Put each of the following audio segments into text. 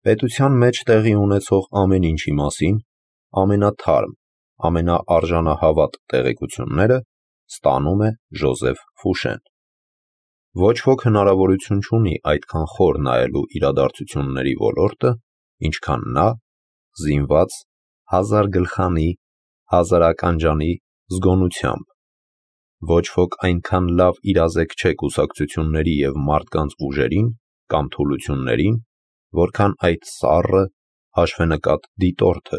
պետության մեջ տեղի ունեցող ամեն ինչի մասին ամենաթարմ, ամենաարժանահավատ տեղեկությունները ստանում է Ժոզեֆ Ֆուշեն։ Ոչ ոք հնարավորություն չունի այդքան խոր նայելու իրադարձությունների ոլորտը, ինչքան նա, զինված 1000 գլխանի, 1000 ականջանի զգոնությամբ։ Ոչ ոք այնքան լավ իրազեկ չէ կուսակցությունների և մարդկանց ուժերին կամ թուլություններին, որքան այդ սառը, հաշվենկատ դիտորդը,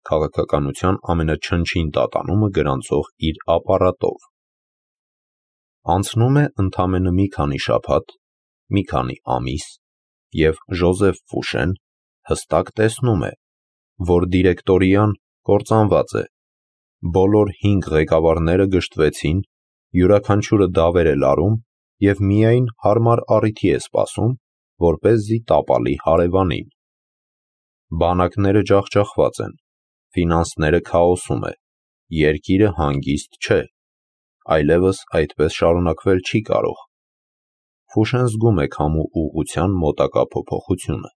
քաղաքականության ամենաչնչին տատանումը գրանցող իր ապարատով։ Անցնում է ընդամենը մի քանի շաբաթ, մի քանի ամիս, և Ժոզեֆ Ֆուշեն հստակ տեսնում է, որ դիրեկտորիան կործանված է, բոլոր 5 ղեկավարները գժտվեցին, յուրաքանչյուրը դավեր է լարում և միայն հարմար առիթի է սպասում, որպեսզի տապալի հարևանին։ Բանակները ջախջախված են, ֆինանսները քաոսում է, երկիրը հանգիստ չէ, այլևս այդպես շարունակվել չի կարող։ Ֆուշեն զգում է քամու ուղղության մոտակա փոփոխությունը։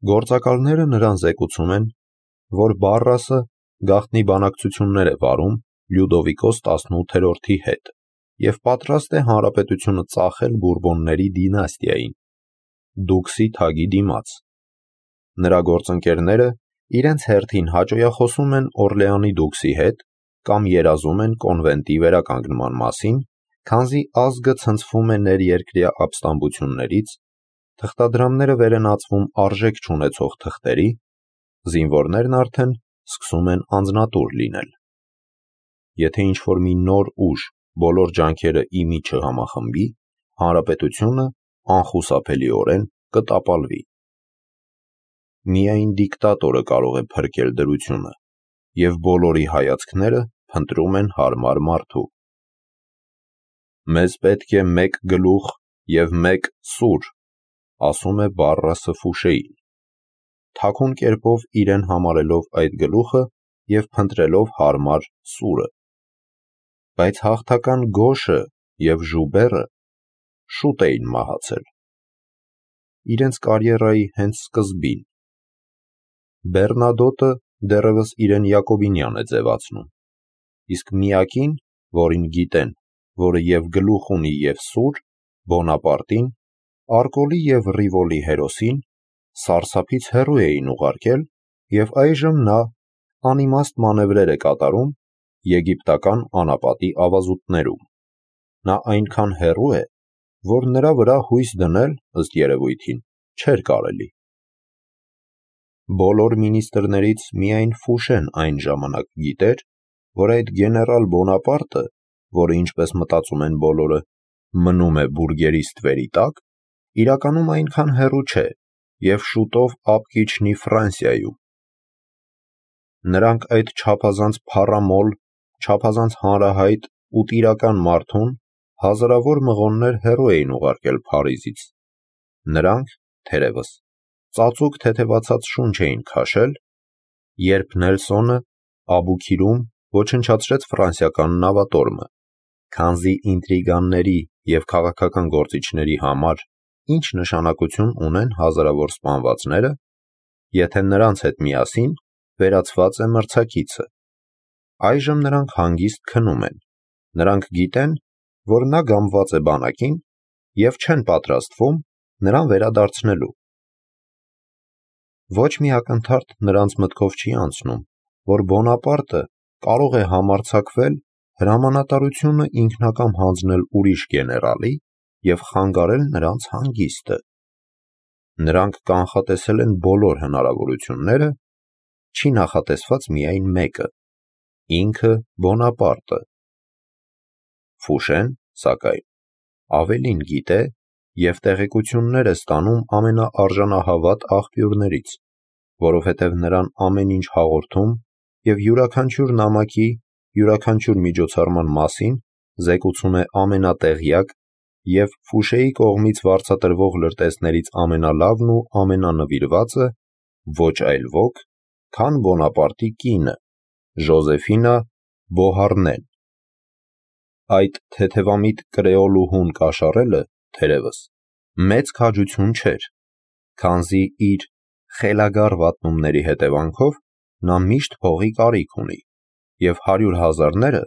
Գործակալները նրան զեկուցում են, որ Բարրասը գաղտնի բանակցություններ է վարում Լյուդովիկոս 18-րդի հետ և պատրաստ է հանրապետությունը ծախել Բուրբոնների դինաստիային, Դուքսի թագի դիմաց։ Նրա գործընկերները իրենց հերթին հաճոյախոսում են Օրլեանի դուքսի հետ կամ երազում են կոնվենտի վերականգնման մասին, քանզի ազգը ցնցվում է ներերկրյա ապստամբություններից, թղթադրամները վեր են ածվում արժեք չունեցող թղթերի, զինվորներն արդեն սկսում են անձնատուր լինել։ Եթե ինչ-որ մի նոր ուժ բոլոր ջանքերը ի մի չհամախմբի, հանրապետությունը անխուսափելիորեն կտապալվի։ Միայն դիկտատորը կարող է փրկել դրությունը, և բոլորի հայացքները փնտրում են հարմար մարդու։ «Մեզ պետք է մեկ գլուխ և մեկ սուր», ասում է Բարրասը Ֆուշեին, թաքուն կերպով իրեն համարելով այդ գլուխը և փնտրելով հարմար սուրը։ Բայց հաղթական Գոշը և Ժուբերը շուտ էին մահացել, իրենց կարիերայի հենց սկզբին։ Բեռնադոտը դեռևս իրեն յակոբինյան է ձևացնում, իսկ միակին, որին գիտեն, որը և գլուխ ունի և սուր, Բոնապարտին, Արկոլի և Ռիվոլի հերոսին, սարսափից հեռու էին ուղարկել, և այժմ նա անիմաստ մանևրեր է կատարում եգիպտական անապատի ավազուտներում։ Նա այնքան հեռու է, որ նրա վրա հույս դնել, ըստ երևույթին, չէր կարելի։ Բոլոր մինիստրներից միայն Ֆուշեն այն ժամանակ գիտեր, որ այդ գեներալ Բոնապարտը, որը, ինչպես մտածում են բոլորը, մնում է բուրգերի ստվերի տակ, իրականում այնքան հեռու չէ և շուտով ափ կիջնի Ֆրանսիայում։ Նրանք այդ չափազանց փառամոլ, չափազանց հանրահայտ ու տիրական մարդուն հազարավոր մղոններ հեռու էին ուղարկել Փարիզից։ Նրանք, թերևս, ծածուկ թեթևացած շունչ էին քաշել, երբ Նելսոնը Աբուքիրում ոչնչացրեց ֆրանսիական նավատորմը, քանզի ինտրիգանների և քաղաքական գործիչների համար ինչ նշանակություն ունեն հազարավոր սպանվածները, եթե նրանց հետ միասին վերացված է մրցակիցը։ Այժմ նրանք հանգիստ քնում են, նրանք գիտեն, որ նա գամված է բանակին և չեն պատրաստվում նրան վերադարձնելու։ Ոչ մի ակնթարթ նրանց մտքով չի անցնում, որ Բոնապարտը կարող է համարձակվել հրամանատարությունը ինքնակամ հանձնել ուրիշ գեներալի և խանգարել նրանց հանգիստը։ Նրանք կանխատեսել են բոլոր հնարավորությունները, չի նախատեսված միայն մեկը՝ ինքը Բոնապարտը։ Ֆուշեն, սակայն, ավելին գիտե և տեղեկություններ է ստանում ամենաարժանահավատ աղբյուրներից, որովհետև նրան ամեն ինչ հաղորդում և յուրաքանչյուր նամակի, յուրաքանչյուր միջոցառման մասին զեկուցում է ամենատեղյակ և Ֆուշեի կողմից վարձատրվող լրտեսներից ամենալավն ու ամենանվիրվածը ոչ այլ ոք, քան Բոնապարտի կինը՝ Ժոզեֆինա Բոհարնեն։ Այդ թեթևամիտ կրեոլուհուն կաշառելը, թերևս, մեծ քաջություն չէր, քանզի իր խելագար վատնումների հետևանքով նա միշտ փողի կարիք ունի, և 100,000-ները,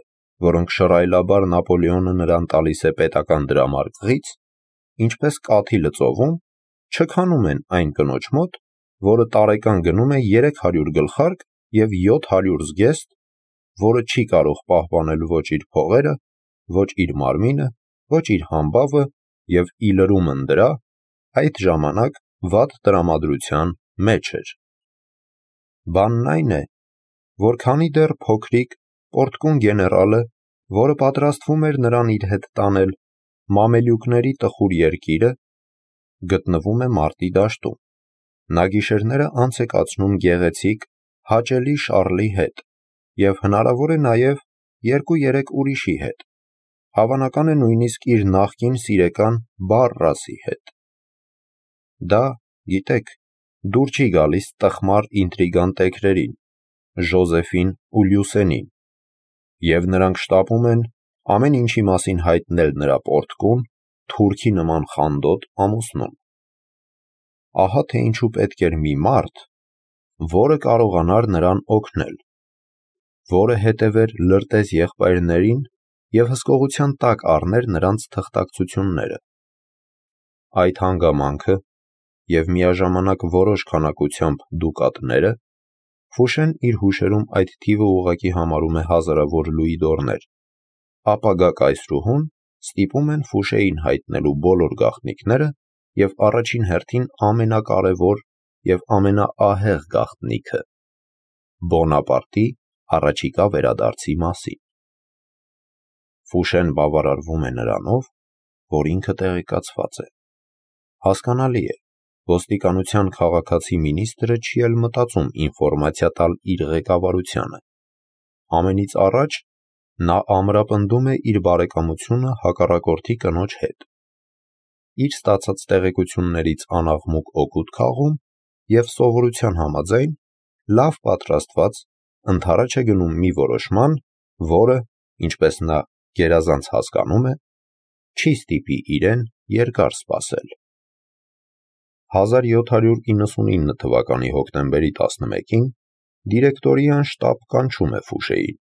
որոնք շռայլաբար Նապոլեոնը նրան տալիս է պետական դրամարկղից, ինչպես կաթի լծովում, չքանում են այն կնոջ մոտ, որը տարեկան գնում է 300 գլխարկ և 700 զգեստ, որը չի կարող պահպանել ոչ իր փողերը, ոչ իր մարմինը, ոչ իր համբավը և ի լրումն դրա, այդ ժամանակ վատ տրամադրության մեջ էր։ Բանն այն է, որ քանի դեռ փոքրիկ պորտկուն գեներալը, որը պատրաստվում էր նրան իր հետ տանել մամելյուկների տխուր երկիրը, գտնվում է մարտի դաշտում, նա գիշերները անց է կացնում գեղեցիկ, հաճելի Շառլի հետ և հնարավոր է նաև 2-3 ուրիշի հետ, հավանական է նույնիսկ իր նախկին սիրեկան Բարրասի հետ։ Դա, գիտեք, դուր չի գալիս տխմար ինտրիգան տեկրերին, Ժոզեֆին ու Լյուսենին, և նրանք շտապում են ամեն ինչի մասին հայտնել նրա պորտկուն, թուրքի նման խանդոտ ամուսնուն։ Ահա թե ինչու պետք էր մի մարդ, որը կարողանար նրան օգնել, որը հետևեր լրտես եղբայրներին և հսկողության տակ առներ նրանց թղթակցությունները։ Այդ հանգամանքը և միաժամանակ որոշ քանակությամբ դուկատները, Ֆուշեն իր հուշերում այդ թիվը ուղղակի համարում է հազարավոր լուիդորներ, ապագա կայսրուհուն ստիպում են Ֆուշեին հայտնելու բոլոր գաղտնիքները և առաջին հերթին ամենակարևոր և ամենաահեղ գաղտնիքը՝ Բոնապարտի առաջիկա վերադարձի մասին։ Ֆուշեն բավարարվում է նրանով, որ ինքը տեղեկացված է։ Հասկանալի է, ոստիկանության քաղաքացի մինիստրը չի էլ մտածում ինֆորմացիա տալ իր ղեկավարությանը։ Ամենից առաջ նա ամրապնդում է իր բարեկամությունը հակառակորդի կնոջ հետ։ Իր ստացած տեղեկություններից անաղմուկ օգուտ քաղում և սովորության համաձայն լավ պատրաստված ընդառաջ է գնում մի որոշման, որը, ինչպես նա գերազանց հասկանում է, չի ստիպի իրեն երկար սպասել։ 1799 թվականի հոկտեմբերի 11-ին դիրեկտորիան շտապ կանչում է Ֆուշեին։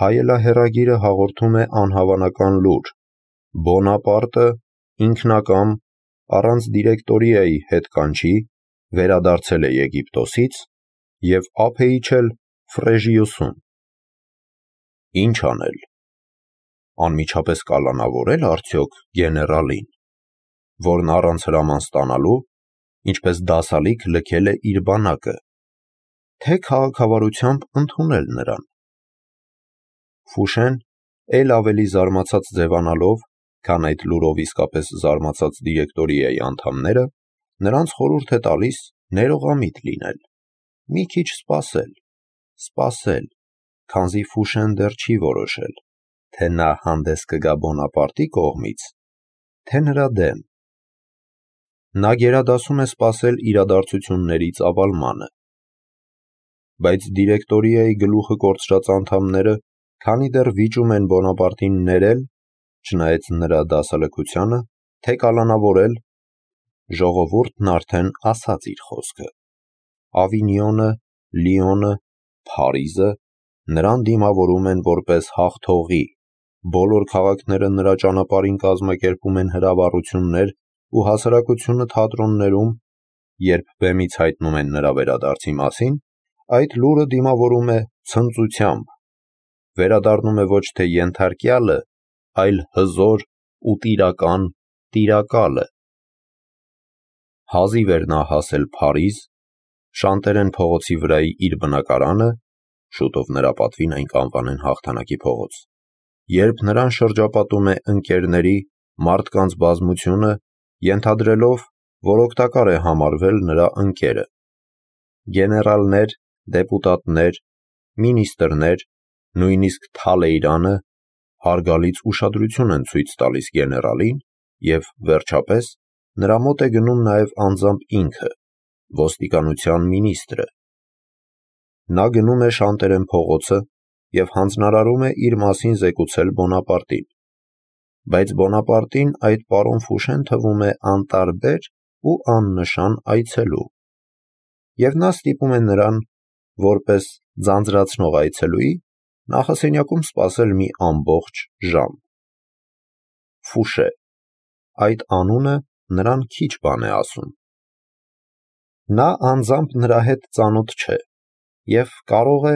Հայելահեռագիրը հաղորդում է անհավանական լուր. Բոնապարտը ինքնակամ, առանց դիրեկտորիայի հետկանչի, վերադարձել է Եգիպտոսից և ափ է իջել Ֆրեժիուսում։ Ինչ անել։ Անմիջապես կալանավորե՞լ արդյոք գեներալին, որն առանց հրաման ստանալու, ինչպես դասալիկ լքել է իր բանակը, թե քաղաքավարությամբ ընդունել նրան։ Ֆուշեն, էլ ավելի զարմացած ձևանալով, քան այդ լուրով իսկապես զարմացած դիրեկտորիայի անդամները, նրանց խորհուրդ է տալիս ներողամիտ լինել, մի քիչ սպասել, քանզի Ֆուշեն դեռ չի որոշել, թե նա հանդես կգա Բոնապարտի կողմից, թե նրա դեմ։ Նա գերադասում է սպասել իրադարձությունների ծավալմանը։ Բայց դիրեկտորիայի գլուխը կորցրած անդամները, քանի դեռ վիճում են Բոնապարտին ներել, չնայած նրա դասալքությանը, թե կալանավորել, ժողովուրդն արդեն ասաց իր խոսքը։ Ավինյոնը, Լիոնը, Փարիզը նրան դիմավորում են որպես հաղթողի, բոլոր քաղաքները նրա ճանապարհին կազմակերպում են հրավառություններ ու հասարակությունը թատրոններում, երբ բեմից հայտնում են նրա վերադարձի մասին, այդ լուրը դիմավորում է ցնծությամբ, վերադառնում է ոչ թե ենթարկյալը, այլ հզոր ու տիրական տիրակալը։ Հազիվ էր նա հասել Փարիզ, Շանտերեն փողոցի վրայի իր բնակարանը, շուտով նրա պատվին այն կանվանեն Հաղթանակի փողոց, երբ նրան շրջապատում է ընկերների, մարդկանց բազմությունը, ենթադրելով, որ օգտակար է համարվել նրա ընկերը։ Գեներալներ, դեպուտատներ, մինիստրներ, նույնիսկ Թալեյրանը հարգալից ուշադրություն են ցույց տալիս գեներալին և, վերջապես, նրա մոտ է գնում նաև անձամբ ինքը, ոստիկանության մինիստրը։ Նա գնում է Շանտերեն փողոցը և հանձնարարում է իր մասին զեկուցել Բոնապարտին։ Բայց Բոնապարտին այդ պարոն Ֆուշեն թվում է անտարբեր ու աննշան այցելու, և նա ստիպում է նրան, որպես ձանձրացնող այցելուի, նախասենյակում սպասել մի ամբողջ ժամ։ Ֆուշե. այդ անունը նրան քիչ բան է ասում։ Նա անձամբ նրա հետ ծանոթ չէ և կարող է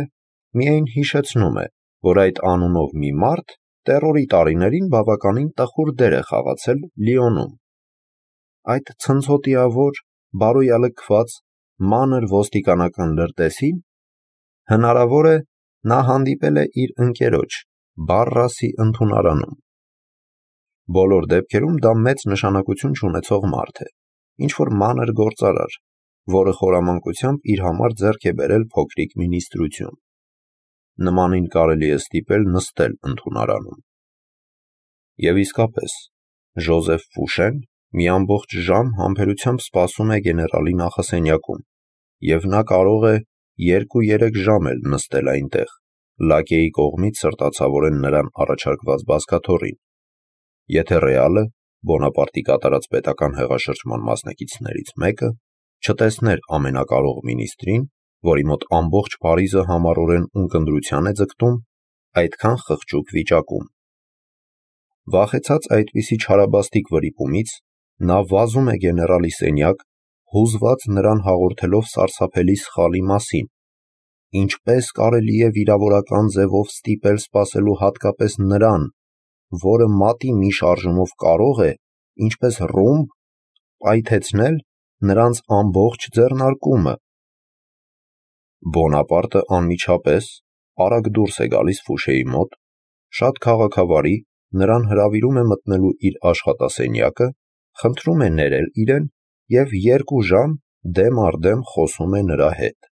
միայն հիշեցնում է, որ այդ անունով մի մարդ տերորի տարիներին բավականին տխուր դեր է խաղացել Լիոնում։ Այդ ցնցոտիավոր, բարոյալքված, մանր ոստիկանական լրտեսին հնարավոր է նա հանդիպել է իր ընկերոջ Բարրասի ընդունարանում։ Բոլոր դեպքերում դա մեծ նշանակություն չունեցող մարդ է, ինչ-որ մանր գործարար, որը խորամանկությամբ իր համար ձեռք է բերել փոքրիկ մինիստրություն։ Նմանին կարելի է ստիպել նստել ընդունարանում։ Եվ իսկապես, Ժոզեֆ Ֆուշեն մի ամբողջ ժամ համբերությամբ սպասում է գեներալի նախասենյակում, և նա կարող է 2-3 ժամ էլ նստել այնտեղ, լակեի կողմից սրտացավորեն նրան առաջարկված բազկաթոռին, եթե ռեալը, Բոնապարտի կատարած պետական հեղաշրջման մասնակիցներից մեկը, չտեսներ ամենակարող մինիստրին, որի մոտ ամբողջ Փարիզը համառորեն ունկնդրության է ձգտում, այդքան խղճուկ վիճակում։ Վախեցած այդպիսի չարաբաստիկ վրիպումից, նա վազում է գեներալի սենյակ, հուզված նրան հաղորդելով սարսափելի սխալի մասին, ինչպես կարելի է վիրավորական ձևով ստիպել սպասելու հատկապես նրան, որը մատի մի շարժումով կարող է, ինչպես ռումբ, պայթեցնել նրանց ամբողջ ձեռնարկումը։ Բոնապարտը անմիջապես արագ դուրս է գալիս Ֆուշեի մոտ, շատ քաղաքավարի նրան հրավիրում է մտնելու իր աշխատասենյակը, խնդրում է ներել իրեն և 2 ժամ դեմ առ դեմ խոսում է նրա հետ։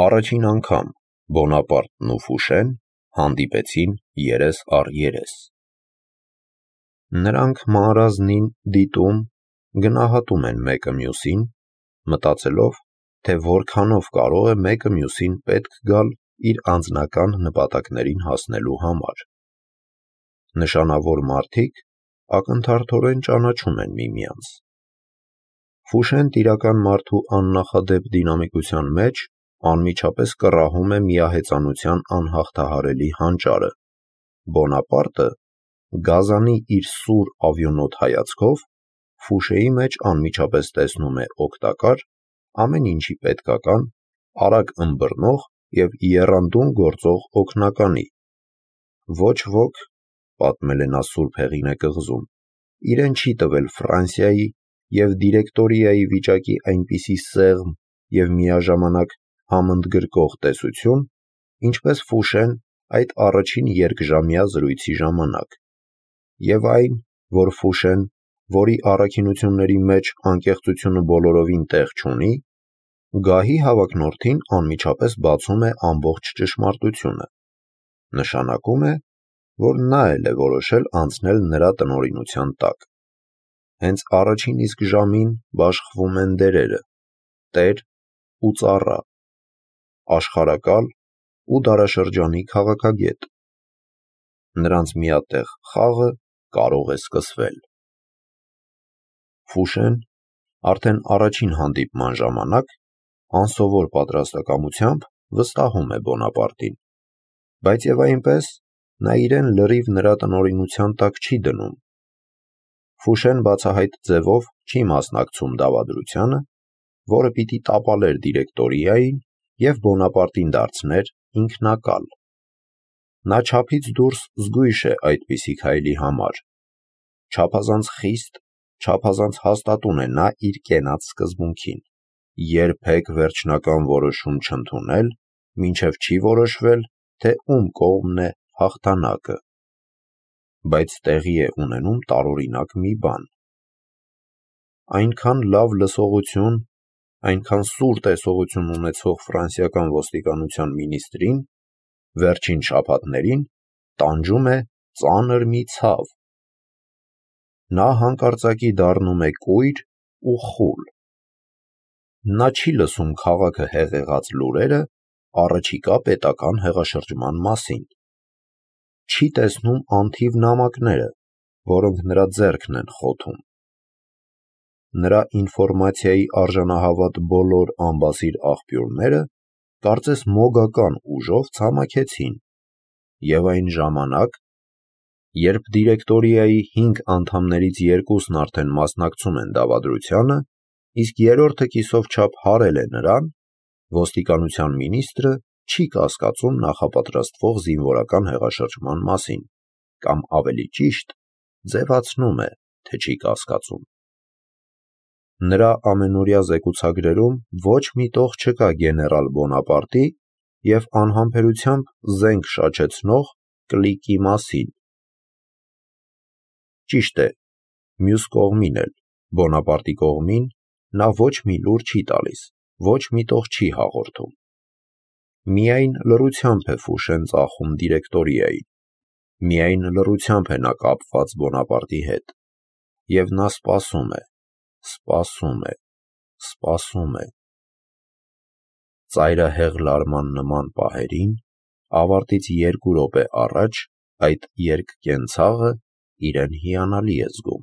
Առաջին անգամ Բոնապարտն ու Ֆուշեն հանդիպեցին երես առ երես։ Նրանք մանրազնին դիտում, գնահատում են մեկը մյուսին, մտածելով, թե որքանով կարող է մեկը մյուսին պետք գալ իր անձնական նպատակներին հասնելու համար։ Նշանավոր մարդիկ ակնթարթորեն ճանաչում են միմյանց։ Ֆուշեն տիրական մարդու աննախադեպ դինամիկության մեջ անմիջապես կռահում է միահեծանության անհաղթահարելի հանճարը։ Բոնապարտը, գազանի իր սուր ավյոնոտ հայացքով, Ֆուշեի մեջ անմիջապես տեսնում է օգտակար, ամեն ինչի պետքական, արագ ըմբռնող և եռանդուն գործող օգնականի։ Ոչ ոք, պատմել է նա Սուրբ Հեղինե կղզում, իրեն չի տվել Ֆրանսիայի և դիրեկտորիայի վիճակի այնպիսի սեղմ և միաժամանակ համընդգրկող տեսություն, ինչպես Ֆուշեն այդ առաջին երկժամյա զրույցի ժամանակ, և այն, որ Ֆուշեն, որի առաքինությունների մեջ անկեղծությունը բոլորովին տեղ չունի, գահի հավակնորդին անմիջապես բացում է ամբողջ ճշմարտությունը, նշանակում է, որ նա էլ է որոշել անցնել նրա տնօրինության տակ։ Հենց առաջին իսկ ժամին բաշխվում են դերերը՝ տեր ու ծառա, աշխարհակալ ու դարաշրջանի քաղաքագետ։ Նրանց միատեղ խաղը կարող է սկսվել։ Ֆուշեն արդեն առաջին հանդիպման ժամանակ անսովոր պատրաստակամությամբ վստահում է Բոնապարտին, բայց և այնպես նա իրեն լրիվ նրա տնօրինության տակ չի դնում։ Ֆուշեն բացահայտ ձևով չի մասնակցում դավադրությանը, որը պիտի տապալեր դիրեկտորիային և Բոնապարտին դարձներ ինքնակալ։ Նա չափից դուրս զգույշ է այդպիսի քայլի համար։ Չափազանց խիստ, չափազանց հաստատուն է նա իր կենաց սկզբունքին՝ երբեք վերջնական որոշում չընդունել, մինչև չի որոշվել, թե ում կողմն է հաղթանակը։ Բայց տեղի է ունենում տարօրինակ մի բան։ Այնքան լավ լսողություն, այնքան սուր տեսողություն ունեցող ֆրանսիական ոստիկանության մինիստրին վերջին շաբաթներին տանջում է ծանր մի ցավ։ Նա հանկարծակի դառնում է կույր ու խուլ։ Նա չի լսում քաղաքը հեղեղած լուրերը առաջիկա պետական հեղաշրջման մասին։ Չի տեսնում անթիվ նամակները, որոնք նրա ձեռքն են խոթում։ նրա ինֆորմացիայի արժանահավատ բոլոր անբասիր աղբյուրները կարծես մոգական ուժով ցամաքեցին, և այն ժամանակ, երբ դիրեկտորիայի 5 անդամներից 2-ն արդեն մասնակցում են դավադրությանը, իսկ 3-րդը կիսով չափ հարել է նրան, ոստիկանության մինիստրը չի կասկածում նախապատրաստվող զինվորական հեղաշրջման մասին, կամ ավելի ճիշտ, ձևացնում է, թե չի կասկածում։ Նրա ամենօրյա զեկուցագրերում ոչ մի տող չկա գեներալ Բոնապարտի և անհամբերությամբ զենք շաչեցնող կլիկի մասին։ Ճիշտ է, մյուս կողմին էլ, Բոնապարտի կողմին, նա ոչ մի լուր չի տալիս, ոչ մի տող չի հաղորդում։ Միայն լռությամբ է Ֆուշեն ծախում դիրեկտորիային, միայն լռությամբ է նա կապված Բոնապարտի հետ, և նա սպասում է, սպասում է, սպասում է։ Ծայրահեղ լարման նման պահերին, ավարտից 2 րոպե առաջ, այդ երկկենցաղը իրեն հիանալի է զգում։